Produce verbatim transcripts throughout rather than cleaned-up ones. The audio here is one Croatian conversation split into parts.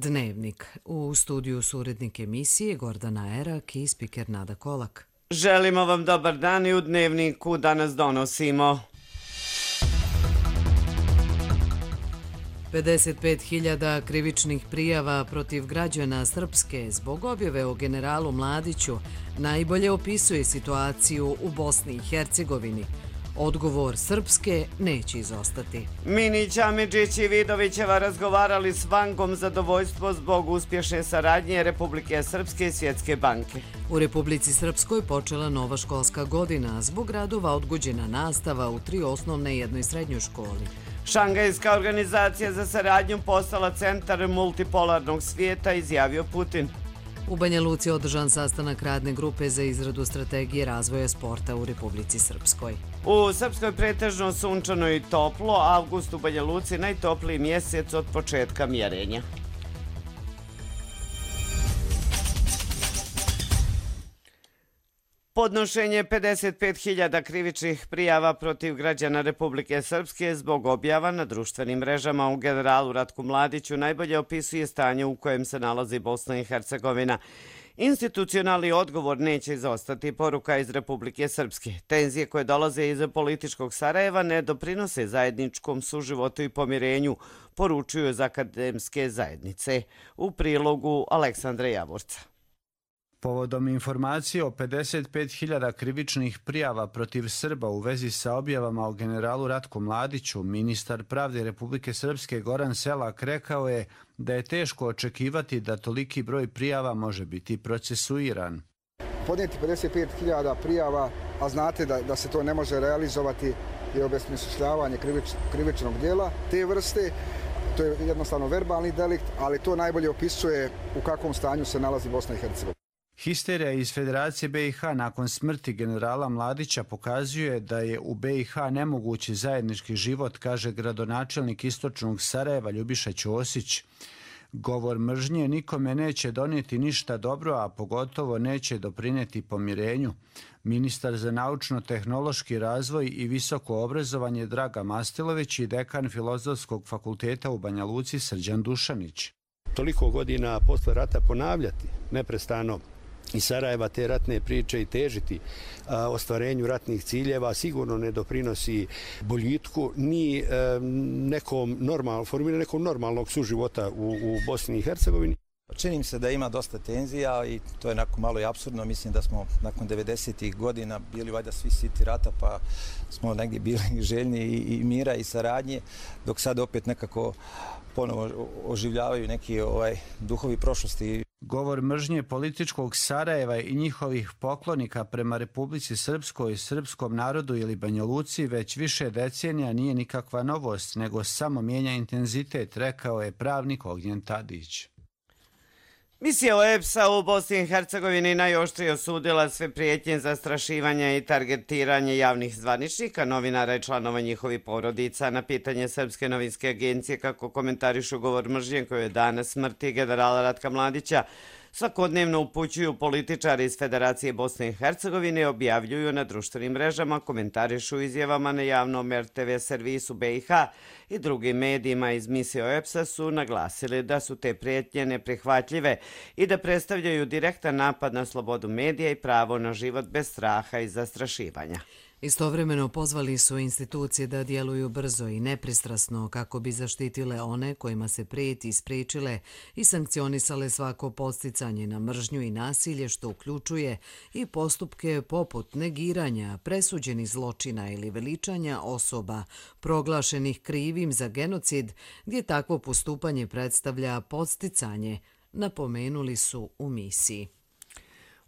Dnevnik. U studiju su urednik emisije Gordana Erak i spiker Nada Kolak. Želimo vam dobar dan i u Dnevniku danas donosimo. pedeset pet hiljada krivičnih prijava protiv građana Srpske zbog objave o generalu Mladiću najbolje opisuje situaciju u Bosni i Hercegovini. Odgovor Srpske neće izostati. Minić, Amidžić i Vidovićeva razgovarali s Vangom zadovoljstvo zbog uspješne saradnje Republike Srpske i Svjetske banke. U Republici Srpskoj počela nova školska godina, zbog radova odgođena nastava u tri osnovne i jednoj srednjoj školi. Šangajska organizacija za saradnju postala centar multipolarnog svijeta, izjavio Putin. U Banja Luci je održan sastanak radne grupe za izradu strategije razvoja sporta u Republici Srpskoj. U Srpskoj pretežno sunčano i toplo, avgust u Banja Luci najtopliji mjesec od početka mjerenja. Podnošenje pedeset pet hiljada krivičnih prijava protiv građana Republike Srpske zbog objava na društvenim mrežama u generalu Ratku Mladiću najbolje opisuje stanje u kojem se nalazi Bosna i Hercegovina. Institucionalni odgovor neće izostati, poruka iz Republike Srpske. Tenzije koje dolaze iz političkog Sarajeva ne doprinose zajedničkom suživotu i pomirenju, poručuju iz akademske zajednice. U prilogu Aleksandra Javorca. Povodom informacije o pedeset pet hiljada krivičnih prijava protiv Srba u vezi sa objavama o generalu Ratku Mladiću, ministar pravde Republike Srpske Goran Selak rekao je da je teško očekivati da toliki broj prijava može biti procesuiran. Podnijeti pedeset pet hiljada prijava, a znate da, da se to ne može realizovati, je obesmišljavanje krivič, krivičnog djela te vrste. To je jednostavno verbalni delikt, ali to najbolje opisuje u kakvom stanju se nalazi Bosna i Hercegovina. Histerija iz Federacije B i H nakon smrti generala Mladića pokazuje da je u B i H nemogući zajednički život, kaže gradonačelnik istočnog Sarajeva Ljubiša Ćosić. Govor mržnje nikome neće donijeti ništa dobro, a pogotovo neće doprinijeti pomirenju. Ministar za naučno-tehnološki razvoj i visoko obrazovanje Draga Mastilović i dekan Filozofskog fakulteta u Banja Luci Srđan Dušanić. Toliko godina posle rata ponavljati neprestano iz Sarajeva te ratne priče i težiti a, ostvarenju ratnih ciljeva sigurno ne doprinosi boljitku ni a, nekom normal, formiranju nekog normalnog suživota u, u Bosni i Hercegovini. Čini mi se da ima dosta tenzija i to je onako malo i apsurdno. Mislim da smo nakon devedesetih godina bili valjda svi siti rata, pa smo negdje bili željni i, i mira i saradnje, dok sad opet nekako ponovo oživljavaju neki ovaj, duhovi prošlosti. Govor mržnje političkog Sarajeva i njihovih poklonika prema Republici Srpskoj, srpskom narodu ili Banja Luci već više decenija nije nikakva novost, nego samo mijenja intenzitet, rekao je pravnik Ognjen Tadić. Misija O E B S-a u Bosni i Hercegovini najoštrije osudila sve prijetnje, zastrašivanja i targetiranje javnih zvaničnika, novinara i članova njihovih porodica. Na pitanje Srpske novinske agencije kako komentarišu govor mržnje koji je danas smrti generala Ratka Mladića, svakodnevno upućuju političari iz Federacije Bosne i Hercegovine, objavljuju na društvenim mrežama, komentarišu izjavama na javnom R T V servisu B i H i drugim medijima iz misije O E B S-a su naglasili da su te prijetnje neprihvatljive i da predstavljaju direktan napad na slobodu medija i pravo na život bez straha i zastrašivanja. Istovremeno pozvali su institucije da djeluju brzo i nepristrasno kako bi zaštitile one kojima se prijeti, spriječile i sankcionisale svako podsticanje na mržnju i nasilje, što uključuje i postupke poput negiranja, presuđenih zločina ili veličanja osoba proglašenih krivim za genocid, gdje takvo postupanje predstavlja podsticanje, napomenuli su u misiji.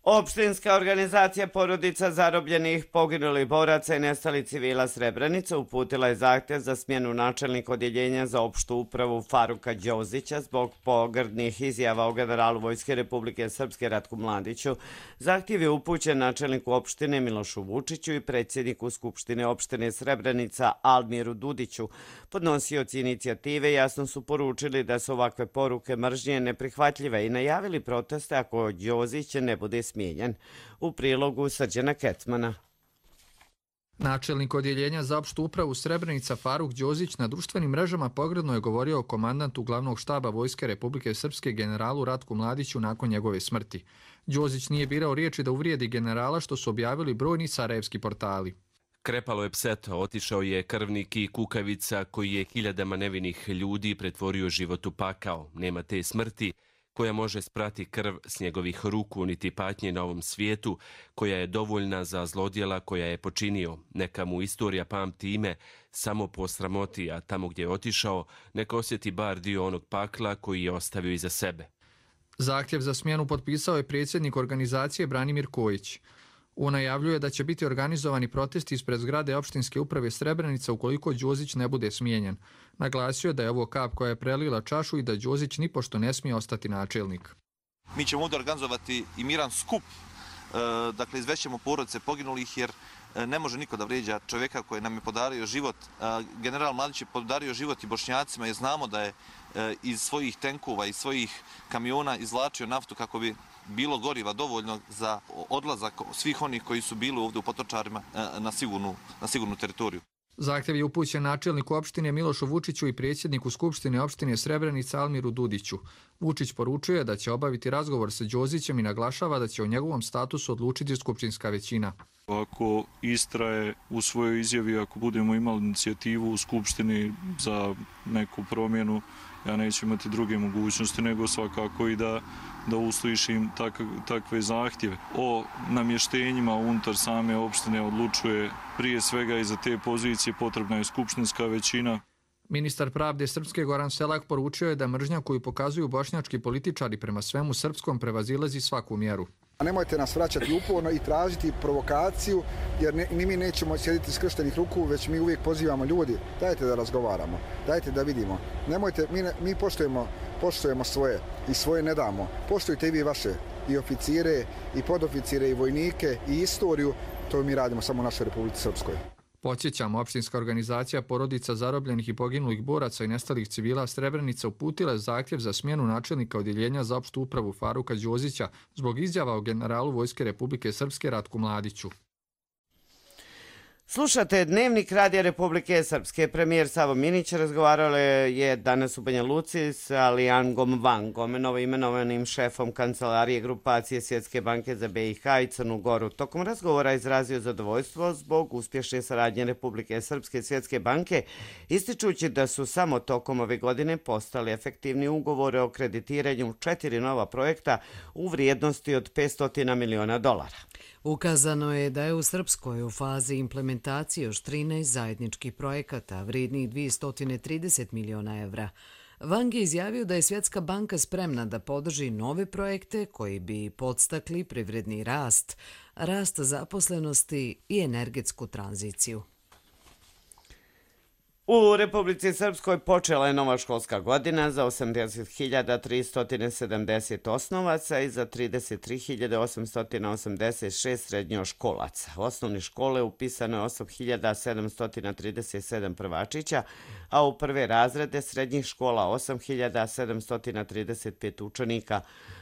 Opštinska organizacija porodica zarobljenih, poginulih boraca i nestalih civila Srebrenica uputila je zahtjev za smjenu načelnika odjeljenja za opštu upravu Faruka Đozića zbog pogrdnih izjava o generalu Vojske Republike Srpske Ratku Mladiću. Zahtjev je upućen načelniku opštine Milošu Vučiću i predsjedniku Skupštine opštine Srebrenica Almiru Dudiću. Podnosioci inicijative jasno su poručili da su ovakve poruke mržnje neprihvatljive i najavili proteste ako Đozić ne bude smijenjen. U prilogu Srđana Kecmana. Načelnik odjeljenja za opštu upravu Srebrenica Faruk Đozić na društvenim mrežama pogrdno je govorio o komandantu glavnog štaba Vojske Republike Srpske generalu Ratku Mladiću nakon njegove smrti. Đozić nije birao riječi da uvrijedi generala, što su objavili brojni sarajevski portali. Krepalo je pseto, otišao je krvnik i kukavica koji je hiljadama nevinih ljudi pretvorio život u pakao. Nema te smrti koja može sprati krv s njegovih ruku, niti patnje na ovom svijetu, koja je dovoljna za zlodjela koja je počinio. Neka mu istorija pamti ime samo po sramoti, a tamo gdje je otišao, neka osjeti bar dio onog pakla koji je ostavio iza sebe. Zahtjev za smjenu potpisao je predsjednik organizacije Branimir Kojić. On najavljuje da će biti organizovani protesti ispred zgrade opštinske uprave Srebrenica ukoliko Đozić ne bude smijenjen. Naglasio je da je ovo kap koja je prelila čašu i da Đozić nipošto ne smije ostati načelnik. Mi ćemo ovdje organizovati i miran skup, dakle izvećemo porodice poginulih, jer ne može niko da vrijeđa čovjeka koji nam je podario život. General Mladić je podario život i Bošnjacima jer znamo da je iz svojih tenkova i svojih kamiona izvlačio naftu kako bi bilo goriva dovoljno za odlazak svih onih koji su bili ovdje u Potočarima na sigurnu, na sigurnu teritoriju. Zahtjev je upućen načelniku opštine Milošu Vučiću i predsjedniku Skupštine opštine Srebrenica Almiru Dudiću. Vučić poručuje da će obaviti razgovor sa Đozićem i naglašava da će o njegovom statusu odlučiti skupštinska većina. Ako istraje u svojoj izjavi, ako budemo imali inicijativu u Skupštini za neku promjenu, ja neću imati druge mogućnosti nego svakako i da, da uslišim tak, takve zahtjeve. O namještenjima unutar same opštine odlučuje prije svega i za te pozicije potrebna je skupštinska većina. Ministar pravde Srpske Goran Selak poručio je da mržnja koju pokazuju bošnjački političari prema svemu srpskom prevazilazi svaku mjeru. Nemojte nas vraćati uporno i tražiti provokaciju, jer ne, ni mi nećemo sjediti skrštenih ruku, već mi uvijek pozivamo ljudi. Dajte da razgovaramo, dajte da vidimo. Nemojte, mi, ne, mi poštujemo, poštujemo svoje i svoje ne damo. Poštujte i vi vaše, i oficire, i podoficire, i vojnike, i istoriju. To mi radimo samo u našoj Republici Srpskoj. Podsjećamo, opštinska organizacija porodica zarobljenih i poginulih boraca i nestalih civila Srebrenica uputila je zahtjev za smjenu načelnika odjeljenja za opštu upravu Faruka Đozića zbog izjava o generalu Vojske Republike Srpske Ratku Mladiću. Slušate Dnevnik Radija Republike Srpske. Premijer Savo Minić razgovarao je danas u Banja Luci s Alijangom Vangom, novoimenovanim šefom kancelarije grupacije Svjetske banke za B i H i Crnu Goru. Tokom razgovora izrazio zadovoljstvo zbog uspješne saradnje Republike Srpske i Svjetske banke, ističući da su samo tokom ove godine postali efektivni ugovore o kreditiranju četiri nova projekta u vrijednosti od petsto miliona dolara. Ukazano je da je u Srpskoj u fazi implementacije još trinaest zajedničkih projekata vrijednih dvjesto trideset miliona evra. Wang je izjavio da je Svjetska banka spremna da podrži nove projekte koji bi podstakli privredni rast, rast zaposlenosti i energetsku tranziciju. U Republici Srpskoj počela je nova školska godina za osamdeset hiljada tristo sedamdeset osnovaca i za trideset tri hiljade osamsto osamdeset šest srednjoškolaca. U osnovne škole upisano je osam hiljada sedamsto trideset sedam prvačića, a u prve razrede srednjih škola osam hiljada sedamsto trideset pet učenika.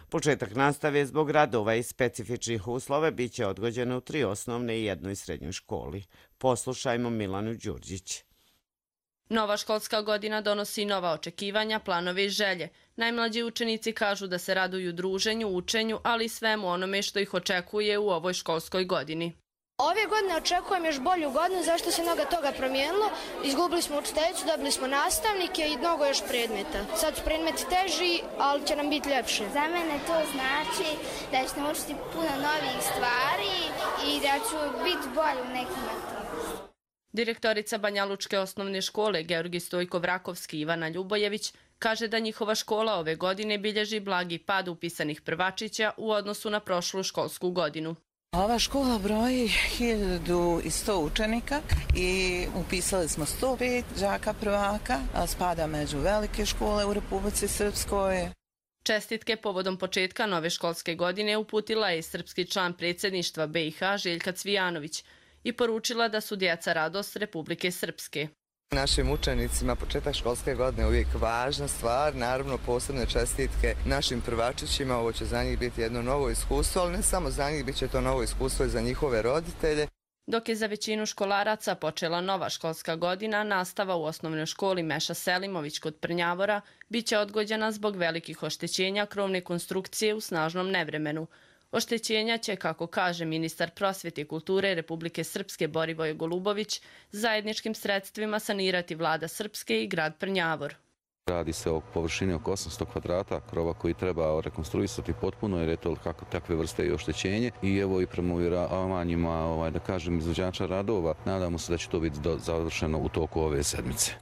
Početak nastave zbog radova i specifičnih uslova biće odgođeno u tri osnovne i jednoj srednjoj školi. Poslušajmo Milanu Đurđić. Nova školska godina donosi nova očekivanja, planove i želje. Najmlađi učenici kažu da se raduju druženju, učenju, ali i svemu onome što ih očekuje u ovoj školskoj godini. Ove godine očekujem još bolju godinu, zašto se mnogo toga promijenilo. Izgubili smo učiteljicu, dobili smo nastavnike i mnogo još predmeta. Sad su predmeti teži, ali će nam biti ljepše. Za mene to znači da ću naučiti puno novih stvari i da ću biti bolji u nekim aktivnostima. Direktorica Banjalučke osnovne škole Georgi Stojko-Vrakovski Ivana Ljubojević kaže da njihova škola ove godine bilježi blagi pad upisanih prvačića u odnosu na prošlu školsku godinu. Ova škola broji hiljadu sto učenika i upisali smo sto pet đaka prvaka, a spada među velike škole u Republici Srpskoj. Čestitke povodom početka nove školske godine uputila je srpski član predsjedništva B i H Željka Cvijanović i poručila da su djeca radost Republike Srpske. Našim učenicima početak školske godine je uvijek važna stvar, naravno posebne čestitke našim prvačićima, ovo će za njih biti jedno novo iskustvo, ali ne samo za njih, bit će to novo iskustvo i za njihove roditelje. Dok je za većinu školaraca počela nova školska godina, nastava u osnovnoj školi Meša Selimović kod Prnjavora biće odgođena zbog velikih oštećenja krovne konstrukcije u snažnom nevremenu. Oštećenja će, kako kaže ministar prosvete i kulture Republike Srpske Borivoje Golubović, zajedničkim sredstvima sanirati vlada Srpske i grad Prnjavor. Radi se o površini oko osamsto kvadrata krova koji treba rekonstruisati potpuno jer je to takve vrste i oštećenje. I evo i prema uvjeravanjima, ovaj, da kažem, izvođača radova, nadamo se da će to biti završeno u toku ove sedmice.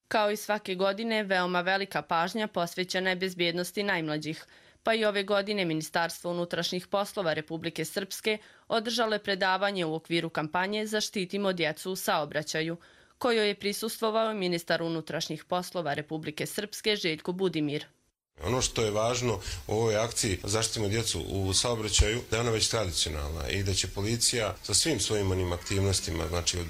Kao i svake godine, veoma velika pažnja posvećena je bezbjednosti najmlađih. Pa i ove godine Ministarstvo unutrašnjih poslova Republike Srpske održalo je predavanje u okviru kampanje Zaštitimo djecu u saobraćaju, kojoj je prisustvovao ministar unutrašnjih poslova Republike Srpske Željko Budimir. Ono što je važno u ovoj akciji Zaštitimo djecu u saobraćaju, da je ona već tradicionalna i da će policija sa svim svojim onim aktivnostima, znači od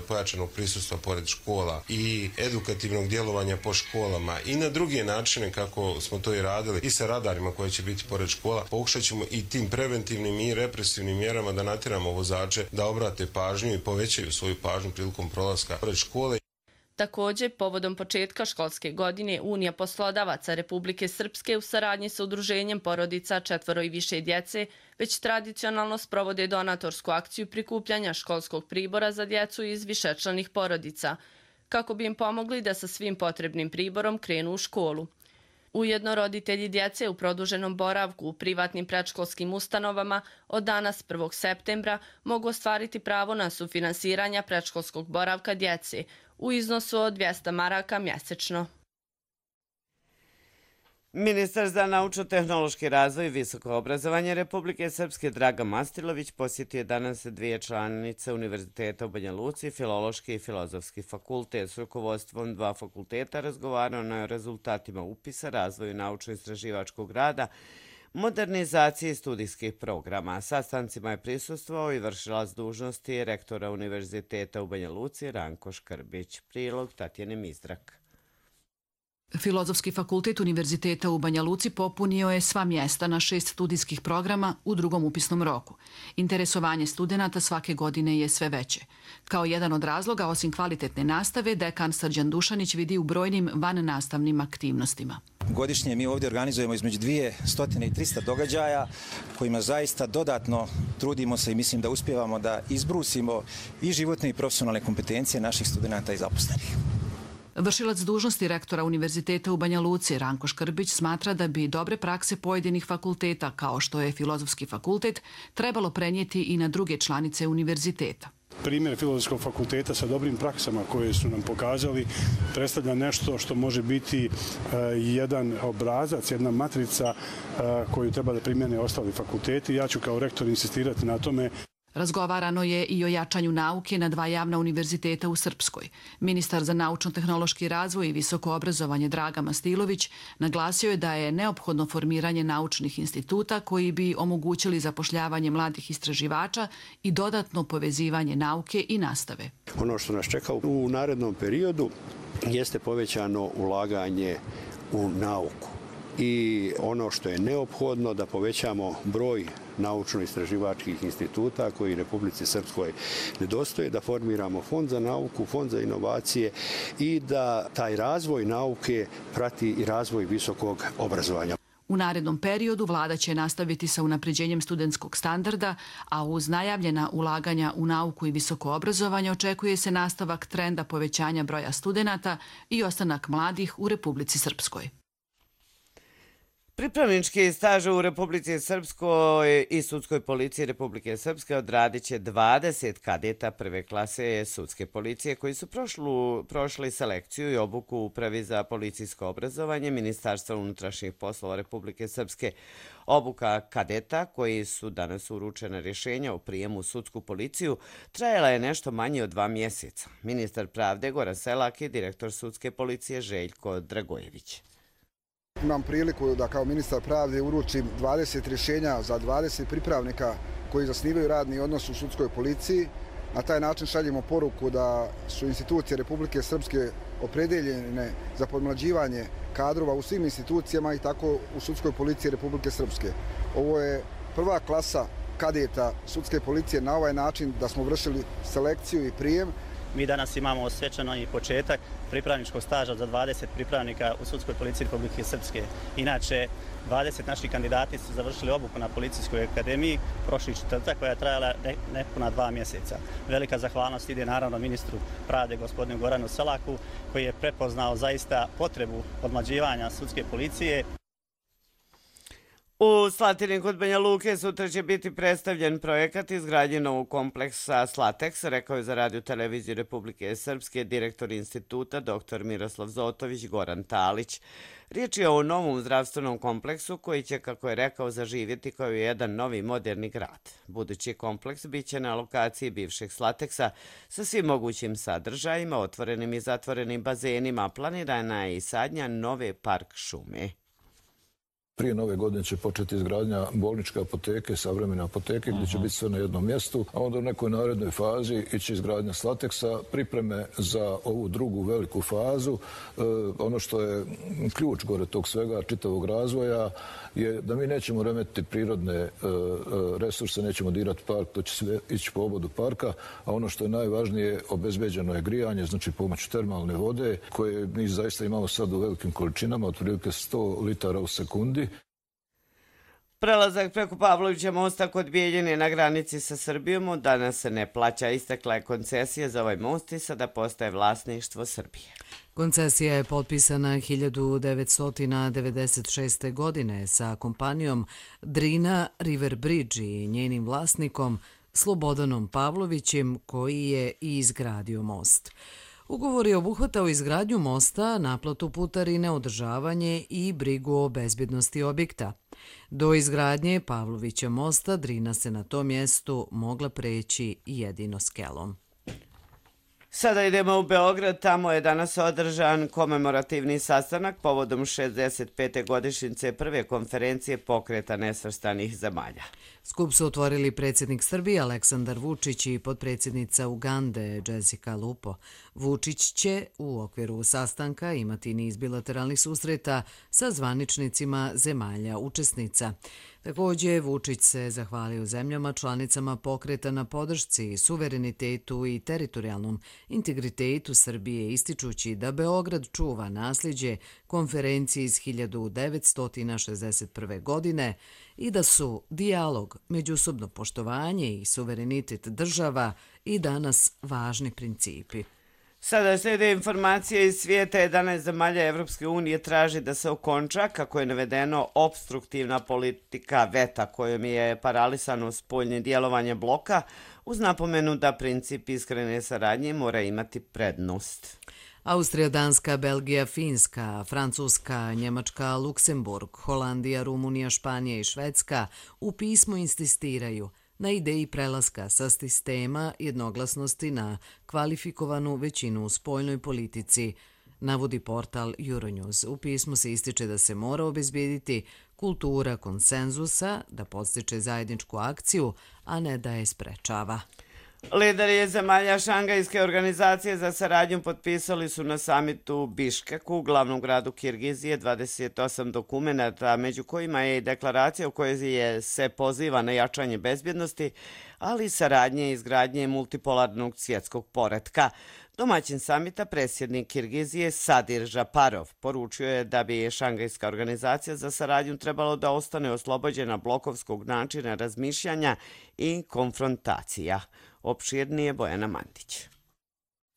pojačanog prisustva pored škola i edukativnog djelovanja po školama i na druge načine kako smo to i radili i sa radarima koji će biti pored škola, pokušat ćemo i tim preventivnim i represivnim mjerama da natjeramo vozače da obrate pažnju i povećaju svoju pažnju prilikom prolaska pored škole. Također, povodom početka školske godine Unija poslodavaca Republike Srpske u saradnji sa udruženjem porodica četvoro i više djece već tradicionalno sprovode donatorsku akciju prikupljanja školskog pribora za djecu iz višečlanih porodica, kako bi im pomogli da sa svim potrebnim priborom krenu u školu. Ujedno roditelji djece u produženom boravku u privatnim predškolskim ustanovama od danas prvog septembra mogu ostvariti pravo na sufinansiranje predškolskog boravka djece u iznosu od dvjesto maraka mjesečno. Ministar za naučno-tehnološki razvoj i visoko obrazovanje Republike Srpske Dragan Mastilović posjetio je danas dvije članice Univerziteta u Banja Luci, Filološki i Filozofski fakultet. S rukovodstvom dva fakulteta razgovarano je o rezultatima upisa, razvoju naučno-istraživačkog rada, modernizaciji studijskih programa. Sastancima je prisustvovao i vršilac dužnosti rektora Univerziteta u Banja Luci Ranko Škrbić. Prilog Tatjane Mizdrak. Filozofski fakultet Univerziteta u Banja Luci popunio je sva mjesta na šest studijskih programa u drugom upisnom roku. Interesovanje studenata svake godine je sve veće. Kao jedan od razloga, osim kvalitetne nastave, dekan Srđan Dušanić vidi u brojnim vannastavnim aktivnostima. Godišnje mi ovdje organizujemo između dvjesto i trista događaja kojima zaista dodatno trudimo se i mislim da uspijevamo da izbrusimo i životne i profesionalne kompetencije naših studenata i zaposlenih. Vršilac dužnosti rektora Univerziteta u Banja Luci Ranko Škrbić smatra da bi dobre prakse pojedinih fakulteta, kao što je Filozofski fakultet, trebalo prenijeti i na druge članice univerziteta. Primjer Filozofskog fakulteta sa dobrim praksama koje su nam pokazali predstavlja nešto što može biti jedan obrazac, jedna matrica koju treba da primjene ostali fakulteti. Ja ću kao rektor insistirati na tome. Razgovarano je i o jačanju nauke na dva javna univerziteta u Srpskoj. Ministar za naučno-tehnološki razvoj i visoko obrazovanje Dragan Mastilović naglasio je da je neophodno formiranje naučnih instituta koji bi omogućili zapošljavanje mladih istraživača i dodatno povezivanje nauke i nastave. Ono što nas čeka u narednom periodu jeste povećano ulaganje u nauku. I ono što je neophodno da povećamo broj naučno-istraživačkih instituta koji Republici Srpskoj nedostaje, da formiramo fond za nauku, fond za inovacije i da taj razvoj nauke prati i razvoj visokog obrazovanja. U narednom periodu vlada će nastaviti sa unapređenjem studentskog standarda, a uz najavljena ulaganja u nauku i visoko obrazovanje očekuje se nastavak trenda povećanja broja studenata i ostanak mladih u Republici Srpskoj. Pripravnički staž u Republici Srpskoj i Sudskoj policiji Republike Srpske odradit će dvadeset kadeta prve klase sudske policije koji su prošlu, prošli selekciju i obuku u Upravi za policijsko obrazovanje Ministarstva unutrašnjih poslova Republike Srpske. Obuka kadeta koji su danas uručena rješenja o prijemu u sudsku policiju trajala je nešto manje od dva mjeseca. Ministar pravde Goran Selak i direktor sudske policije Željko Dragojević. Imam priliku da kao ministar pravde uručim dvadeset rješenja za dvadeset pripravnika koji zasnivaju radni odnos u sudskoj policiji. Na taj način šaljemo poruku da su institucije Republike Srpske opredeljene za podmlađivanje kadrova u svim institucijama i tako u sudskoj policiji Republike Srpske. Ovo je prva klasa kadeta sudske policije na ovaj način da smo vršili selekciju i prijem. Mi danas imamo svečano i početak pripravničkog staža za dvadeset pripravnika u Sudskoj policiji Republike Srpske. Inače, dvadeset naših kandidati su završili obuku na Policijskoj akademiji prošli četvrtak koja je trajala nepuna dva mjeseca. Velika zahvalnost ide naravno ministru pravde gospodinu Goranu Selaku koji je prepoznao zaista potrebu odmlađivanja sudske policije. U Slatini kod Banja Luke sutra će biti predstavljen projekat izgradnje novog kompleksa Slateks, rekao je za Radio televiziju Republike Srpske direktor instituta dr Miroslav Zotović Goran Talić. Riječ je o novom zdravstvenom kompleksu koji će, kako je rekao, zaživjeti kao jedan novi moderni grad. Budući kompleks bit će na lokaciji bivšeg Slateksa sa svim mogućim sadržajima, otvorenim i zatvorenim bazenima, planirana je i sadnja nove park šume. Prije nove godine će početi izgradnja bolničke apoteke, savremene apoteke, gdje će biti sve na jednom mjestu, a onda u nekoj narednoj fazi ići izgradnja Slateksa, pripreme za ovu drugu veliku fazu. E, ono što je ključ gore tog svega, čitavog razvoja, je da mi nećemo remetiti prirodne e, resurse, nećemo dirati park, to će sve ići po obodu parka, a ono što je najvažnije, obezbeđeno je grijanje, znači pomoću termalne vode, koje mi zaista imamo sad u velikim količinama, otprilike sto litara u sekundi. Prelazak preko Pavlovića mosta kod Bijeljine na granici sa Srbijom danas se ne plaća. Istekla je koncesija za ovaj most i sada postaje vlasništvo Srbije. Koncesija je potpisana hiljadu devetsto devedeset šeste. godine sa kompanijom Drina River Bridge i njenim vlasnikom Slobodanom Pavlovićem koji je i izgradio most. Ugovor je obuhvatao izgradnju mosta, naplatu putarine, održavanje i brigu o bezbjednosti objekta. Do izgradnje Pavlovića mosta Drina se na tom mjestu mogla preći jedino skelom. Sada idemo u Beograd, tamo je danas održan komemorativni sastanak povodom šezdeset pete godišnjice prve konferencije Pokreta nesvrstanih zemalja. Skup su otvorili predsjednik Srbije Aleksandar Vučić i potpredsjednica Ugande Jessica Lupo. Vučić će u okviru sastanka imati niz bilateralnih susreta sa zvaničnicima zemalja učesnica. Također, Vučić se zahvalio zemljama članicama pokreta na podršci, suverenitetu i teritorijalnom integritetu Srbije, ističući da Beograd čuva nasljeđe konferencije iz hiljadu devetsto šezdeset prve. godine i da su dijalog, međusobno poštovanje i suverenitet država i danas važni principi. Sada slijede informacije iz svijeta. jedanaest zemalja Evropske unije traži da se okonča, kako je navedeno, obstruktivna politika veta kojom je paralisano spoljne djelovanje bloka, uz napomenu da princip iskrene saradnje mora imati prednost. Austrija, Danska, Belgija, Finska, Francuska, Njemačka, Luksemburg, Holandija, Rumunija, Španija i Švedska u pismu insistiraju na ideji prelaska sa sistema jednoglasnosti na kvalifikovanu većinu u spoljnoj politici, navodi portal Euronews. U pismu se ističe da se mora obezbijediti kultura konsenzusa, da podstiče zajedničku akciju, a ne da je sprečava. Lideri zemalja Šangajske organizacije za saradnju potpisali su na samitu u Biškeku, glavnom gradu Kirgizije, dvadeset osam dokumenata, među kojima je i deklaracija u kojoj je se poziva na jačanje bezbjednosti, ali i saradnje i izgradnje multipolarnog svjetskog poretka. Domaćin samita, predsjednik Kirgizije Sadir Žaparov, poručio je da bi Šangajska organizacija za saradnju trebalo da ostane oslobođena blokovskog načina razmišljanja i konfrontacija. Opširnije Bojana Mandić.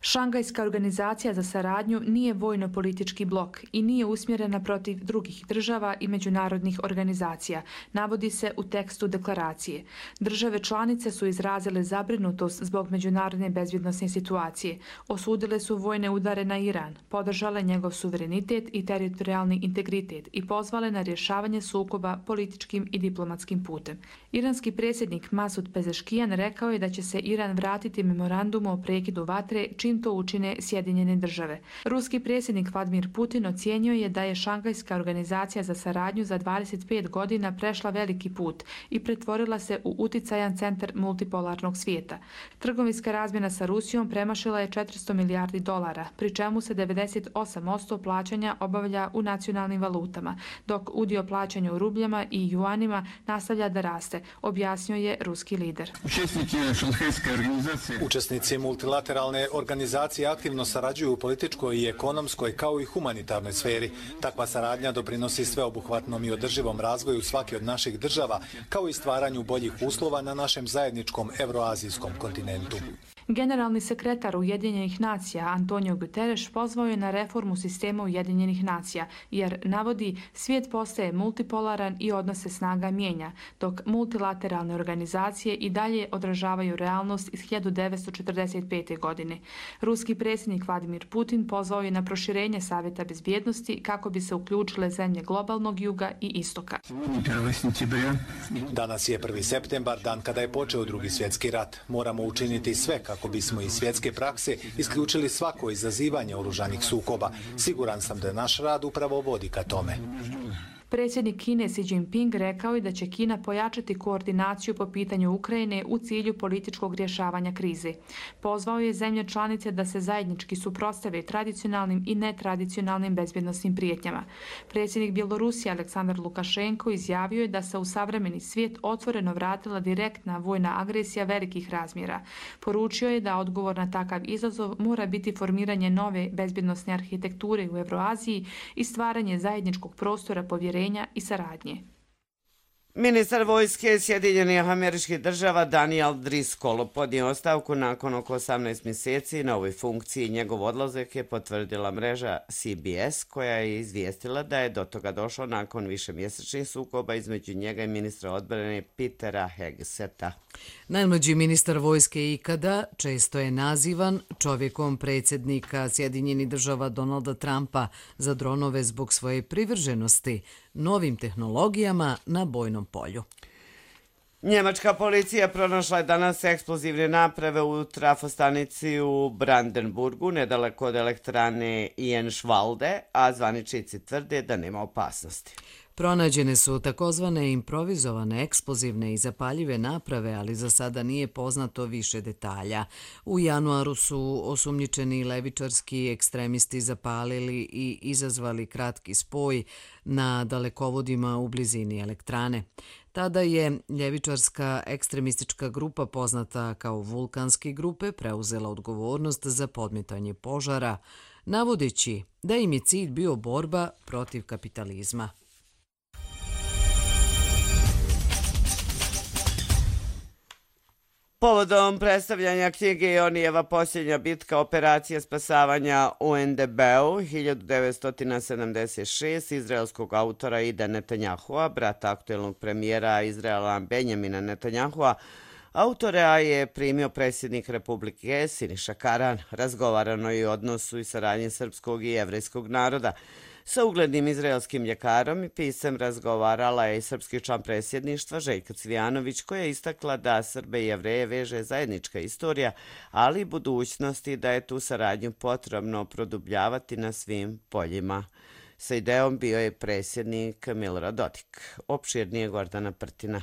Šangajska organizacija za saradnju nije vojno-politički blok i nije usmjerena protiv drugih država i međunarodnih organizacija, navodi se u tekstu deklaracije. Države članice su izrazile zabrinutost zbog međunarodne bezbjednosne situacije, osudile su vojne udare na Iran, podržale njegov suverenitet i teritorijalni integritet i pozvale na rješavanje sukoba političkim i diplomatskim putem. Iranski predsjednik Masud Pezeškijan rekao je da će se Iran vratiti memorandumu o prekidu vatre čim čim to učine Sjedinjene države. Ruski predsjednik Vladimir Putin ocijenio je da je Šangajska organizacija za saradnju za dvadeset pet godina prešla veliki put i pretvorila se u uticajan centar multipolarnog svijeta. Trgovinska razmjena sa Rusijom premašila je četiristo milijardi dolara, pri čemu se devedeset osam posto plaćanja obavlja u nacionalnim valutama, dok udio plaćanja u rubljama i juanima nastavlja da raste, objasnio je ruski lider. Učesnici multilateralne organizacije aktivno sarađuju u političkoj i ekonomskoj kao i humanitarnoj sferi. Takva saradnja doprinosi sveobuhvatnom i održivom razvoju svake od naših država, kao i stvaranju boljih uslova na našem zajedničkom evroazijskom kontinentu. Generalni sekretar Ujedinjenih nacija Antonio Guterres pozvao je na reformu sistema Ujedinjenih nacija, jer, navodi, svijet postaje multipolaran i odnose snaga mijenja, dok multilateralne organizacije i dalje odražavaju realnost iz hiljadu devetsto četrdeset pete. godine. Ruski predsjednik Vladimir Putin pozvao je na proširenje Savjeta bezbjednosti kako bi se uključile zemlje globalnog juga i istoka. Danas je prvi septembar, dan kada je počeo drugi svjetski rat. Moramo učiniti sve kako bismo iz svjetske prakse isključili svako izazivanje oružanih sukoba. Siguran sam da naš rad upravo vodi ka tome. Predsjednik Kine Xi Jinping rekao je da će Kina pojačati koordinaciju po pitanju Ukrajine u cilju političkog rješavanja krize. Pozvao je zemlje članice da se zajednički suprotstave tradicionalnim i netradicionalnim bezbjednosnim prijetnjama. Predsjednik Bjelorusije Aleksandar Lukašenko izjavio je da se u savremeni svijet otvoreno vratila direktna vojna agresija velikih razmjera. Poručio je da odgovor na takav izazov mora biti formiranje nove bezbjednosne arhitekture u Evroaziji i stvaranje zajedničkog prostora povjerenja i saradnje. Ministar vojske Sjedinjenih Američkih Država Daniel Driscoll podnio ostavku nakon oko osamnaest mjeseci na ovoj funkciji. Njegov odlazak je potvrdila mreža C B S, koja je izvijestila da je do toga došlo nakon višemjesečnih sukoba između njega i ministra odbrane Petera Hegseta. Najmlađi ministar vojske ikada često je nazivan čovjekom predsjednika Sjedinjenih Država Donalda Trumpa za dronove zbog svoje privrženosti novim tehnologijama na bojnom polju. Njemačka policija pronašla je danas eksplozivne naprave u trafostanici u Brandenburgu, nedaleko od elektrane Jenschwalde, a zvaničnici tvrde da nema opasnosti. Pronađene su takozvane improvizovane eksplozivne i zapaljive naprave, ali za sada nije poznato više detalja. U januaru su osumnjičeni levičarski ekstremisti zapalili i izazvali kratki spoj na dalekovodima u blizini elektrane. Tada je ljevičarska ekstremistička grupa poznata kao vulkanske grupe preuzela odgovornost za podmetanje požara, navodeći da im je cilj bio borba protiv kapitalizma. Povodom predstavljanja knjige Jonijeva posljednja bitka operacija spasavanja u N D B-u hiljadu devetsto sedamdeset šeste izraelskog autora Ida Netanjahua, brata aktuelnog premijera Izraela Benjamina Netanjahua, autora je primio predsjednik Republike Siniša Karan. Razgovarano je o odnosu i saradnji srpskog i jevrejskog naroda. Sa uglednim izraelskim ljekarom i pisem razgovarala je i srpski član predsjedništva Željka Cvijanović, koja je istakla da Srbe i Jevreje veže zajednička istorija, ali i budućnosti da je tu saradnju potrebno produbljavati na svim poljima. Sa idejom bio je predsjednik Milorad Dodik. Opširnije Gordana Prtina.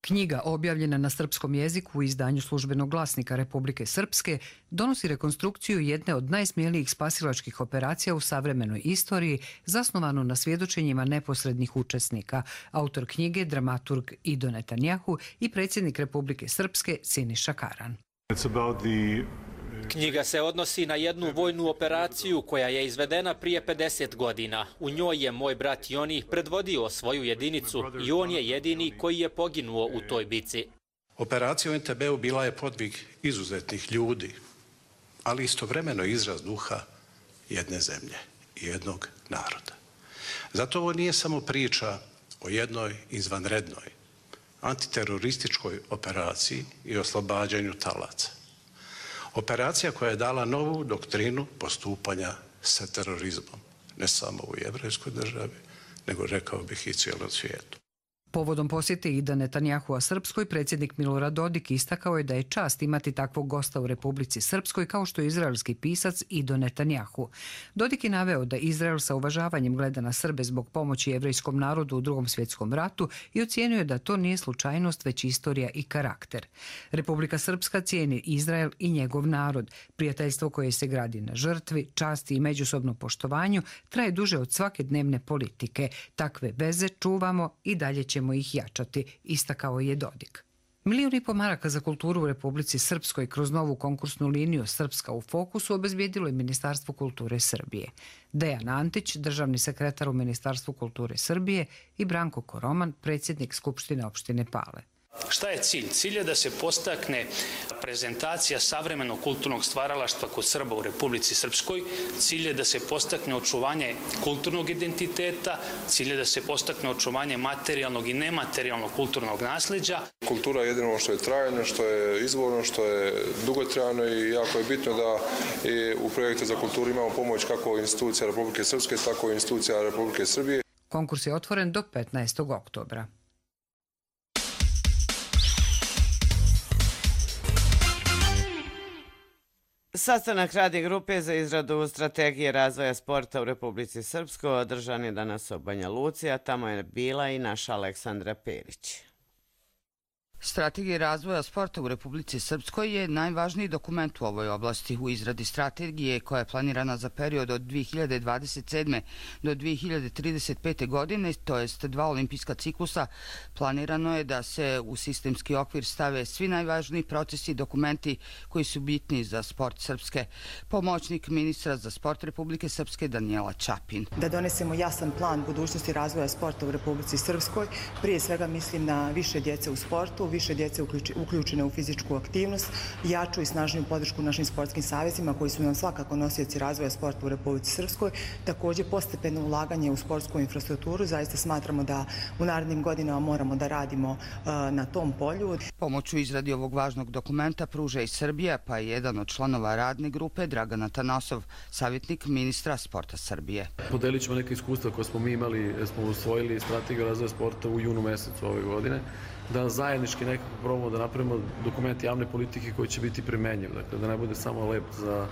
Knjiga, objavljena na srpskom jeziku u izdanju Službenog glasnika Republike Srpske, donosi rekonstrukciju jedne od najsmjelijih spasilačkih operacija u savremenoj istoriji, zasnovanu na svjedočenjima neposrednih učesnika. Autor knjige, dramaturg Ido Netanjahu i predsjednik Republike Srpske Siniša Karan. Knjiga se odnosi na jednu vojnu operaciju koja je izvedena prije pedeset godina. U njoj je moj brat Joni predvodio svoju jedinicu i on je jedini koji je poginuo u toj bici. Operacija u N T B-u bila je podvig izuzetnih ljudi, ali istovremeno izraz duha jedne zemlje i jednog naroda. Zato ovo nije samo priča o jednoj izvanrednoj antiterorističkoj operaciji i oslobađanju talaca. Operacija koja je dala novu doktrinu postupanja sa terorizmom, ne samo u jevrejskoj državi, nego rekao bih i cijelom svijetu. Povodom posjete Ida Netanjahua Srpskoj, predsjednik Milorad Dodik istakao je da je čast imati takvog gosta u Republici Srpskoj kao što je izraelski pisac Ido Netanjahu. Dodik je naveo da Izrael sa uvažavanjem gleda na Srbe zbog pomoći jevrejskom narodu u Drugom svjetskom ratu i ocijenio je da to nije slučajnost, već istorija i karakter. Republika Srpska cijeni Izrael i njegov narod. Prijateljstvo koje se gradi na žrtvi, časti i međusobnom poštovanju traje duže od svake dnevne politike. Takve veze čuvamo i dalje ćemo ih jačati, istakao je Dodik. Milijun i po maraka za kulturu u Republici Srpskoj kroz novu konkursnu liniju Srpska u fokusu obezbijedilo je Ministarstvo kulture Srbije. Dejan Antić, državni sekretar u Ministarstvu kulture Srbije, i Branko Koroman, predsjednik Skupštine opštine Pale. Šta je cilj? Cilj je da se postakne prezentacija savremenog kulturnog stvaralaštva kod Srba u Republici Srpskoj. Cilj je da se postakne očuvanje kulturnog identiteta. Cilj je da se postakne očuvanje materijalnog i nematerijalnog kulturnog nasljeđa. Kultura je jedino što je trajno, što je izvorno, što je dugotrajno i jako je bitno da i u projekte za kulturu imamo pomoć kako institucija Republike Srpske, tako i institucija Republike Srbije. Konkurs je otvoren do petnaestog oktobra. Sastanak radne grupe za izradu strategije razvoja sporta u Republici Srpskoj održan je danas u Banja Luci, a tamo je bila i naša Aleksandra Perić. Strategija razvoja sporta u Republici Srpskoj je najvažniji dokument u ovoj oblasti. U izradi strategije koja je planirana za period od dvije hiljade dvadeset sedme. do dvije hiljade trideset pete. godine, to jest dva olimpijska ciklusa, planirano je da se u sistemski okvir stave svi najvažniji procesi i dokumenti koji su bitni za sport Srpske. Pomoćnik ministra za sport Republike Srpske Danijela Čapin. Da donesemo jasan plan budućnosti razvoja sporta u Republici Srpskoj, prije svega mislim na više djece u sportu, više djece uključene u fizičku aktivnost, jaču i snažniju podršku našim sportskim savezima koji su nam svakako nosioci razvoja sporta u Republici Srpskoj. Također postepeno ulaganje u sportsku infrastrukturu. Zaista smatramo da u narednim godinama moramo da radimo na tom polju. Pomoć u izradi ovog važnog dokumenta pruža i Srbija, pa je jedan od članova radne grupe, Dragan Atanasov, savjetnik ministra sporta Srbije. Podelit ćemo neke iskustva koje smo mi imali, smo usvojili strategiju razvoja sporta u junu mesecu ove godine, da zajednički nekako probamo da napravimo dokument javne politike koji će biti primenjiv. Dakle, da ne bude samo lep za,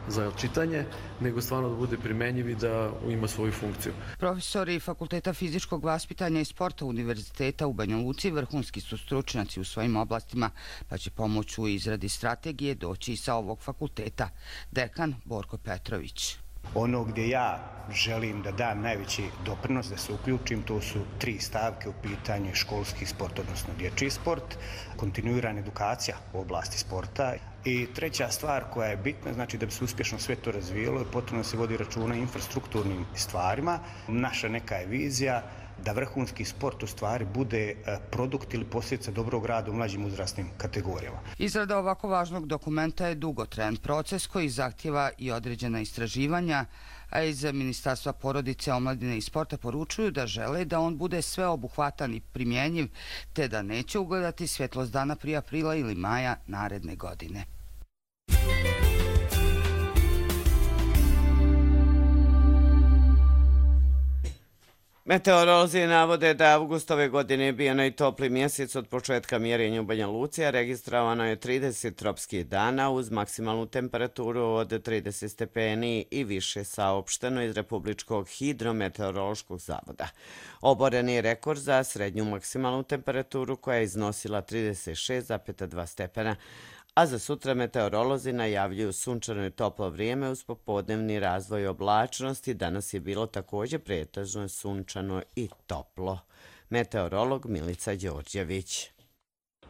za čitanje, nego stvarno da bude primenjiv i da ima svoju funkciju. Profesori Fakulteta fizičkog vaspitanja i sporta Univerziteta u Banja Luci vrhunski su stručnjaci u svojim oblastima, pa će pomoć u izradi strategije doći i sa ovog fakulteta. Dekan Borko Petrović. Ono gdje ja želim da dam najveći doprinos, da se uključim, to su tri stavke u pitanju školski sport, odnosno dječji sport, kontinuirana edukacija u oblasti sporta i treća stvar koja je bitna, znači da bi se uspješno sve to razvijelo, je potrebno da se vodi računa o infrastrukturnim stvarima. Naša neka je vizija da vrhunski sport u stvari bude produkt ili posljedica dobrog rada u mlađim uzrasnim kategorijama. Izrada ovako važnog dokumenta je dugotrajan proces koji zahtjeva i određena istraživanja, a iz Ministarstva porodice, omladine i sporta poručuju da žele da on bude sveobuhvatan i primjenjiv, te da neće ugledati svjetlost dana prije aprila ili maja naredne godine. Meteorolozi navode da avgust ove godine je bio najtopliji mjesec od početka mjerenja u Banja Luci, a registrovano je trideset tropskih dana uz maksimalnu temperaturu od trideset stepeni i više, saopšteno iz Republičkog hidrometeorološkog zavoda. Oboren je rekord za srednju maksimalnu temperaturu koja je iznosila trideset šest zarez dva stepena, a za sutra meteorolozi najavljuju sunčano i toplo vrijeme uz popodnevni razvoj oblačnosti. Danas je bilo također pretežno sunčano i toplo. Meteorolog Milica Đorđević.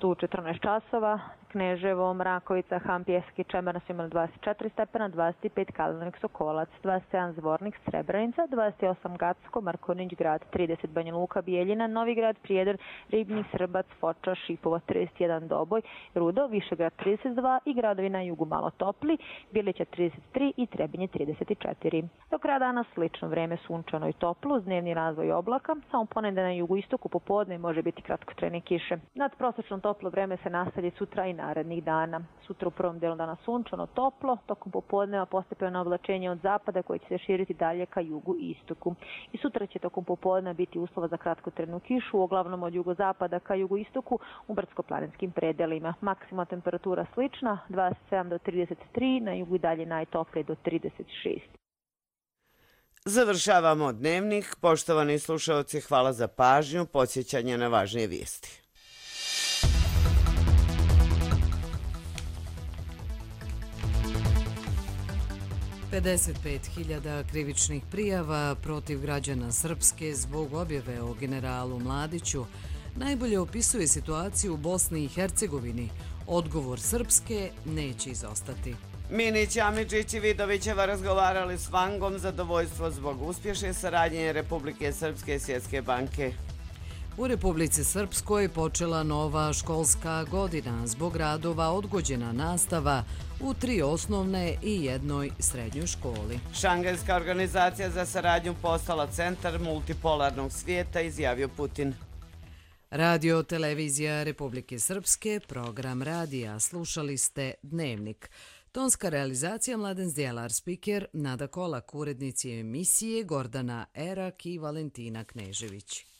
U četrnaest časova Kneževo, Mrakovica, Han, Pjeski, Čemerna su imali dvadeset četiri stepena, dvadeset pet Kalinović, Sokolac, dvadeset sedam Zvornik, Srebrenica, dvadeset osam Gacko, Markovnić grad, trideset Banja Luka, Bijeljina, Novigrad, Prijedor, Ribnik, Srbac, Foča, Šipova, trideset jedan Doboj, Rudo, Višegrad trideset dva i gradovi na jugu malo topli, Bilića trideset tri i Trebinje trideset četiri. Do kraja dana slično vreme sunčano i toplo, uz dnevni razvoj oblaka, samo ponedjeljak na jugu istoku popodne može biti kratkotrajne kiše. Nadprosečno toplo vreme se nastavlja sutra i na narednih dana. Sutra u prvom delu dana sunčano, toplo, tokom popodneva postepeno oblačenje od zapada koje će se širiti dalje ka jugu i istoku. I sutra će tokom popodneva biti uslova za kratkotrajnu kišu, uglavnom od jugozapada ka jugoistoku u brdsko-planinskim predelima. Maksimalna temperatura slična, dvadeset sedam do trideset tri, na jugu i dalje najtoplije do trideset šest. Završavamo dnevnik. Poštovani slušaoci, hvala za pažnju, podsjećanje na važnije vijesti. pedeset pet hiljada krivičnih prijava protiv građana Srpske zbog objave o generalu Mladiću najbolje opisuje situaciju u Bosni i Hercegovini. Odgovor Srpske neće izostati. Minić, Amidžić i Vidovićeva razgovarali s Vangom zadovoljstvo zbog uspješne saradnje Republike Srpske i Svjetske banke. U Republici Srpskoj počela nova školska godina, zbog radova odgođena nastava u tri osnovne i jednoj srednjoj školi. Šangajska organizacija za saradnju postala centar multipolarnog svijeta, izjavio Putin. Radio Televizija Republike Srpske, program radija, slušali ste Dnevnik. Tonska realizacija Mladen Zdjelar, spiker Nada Kolak, urednici emisije Gordana Erak i Valentina Knežević.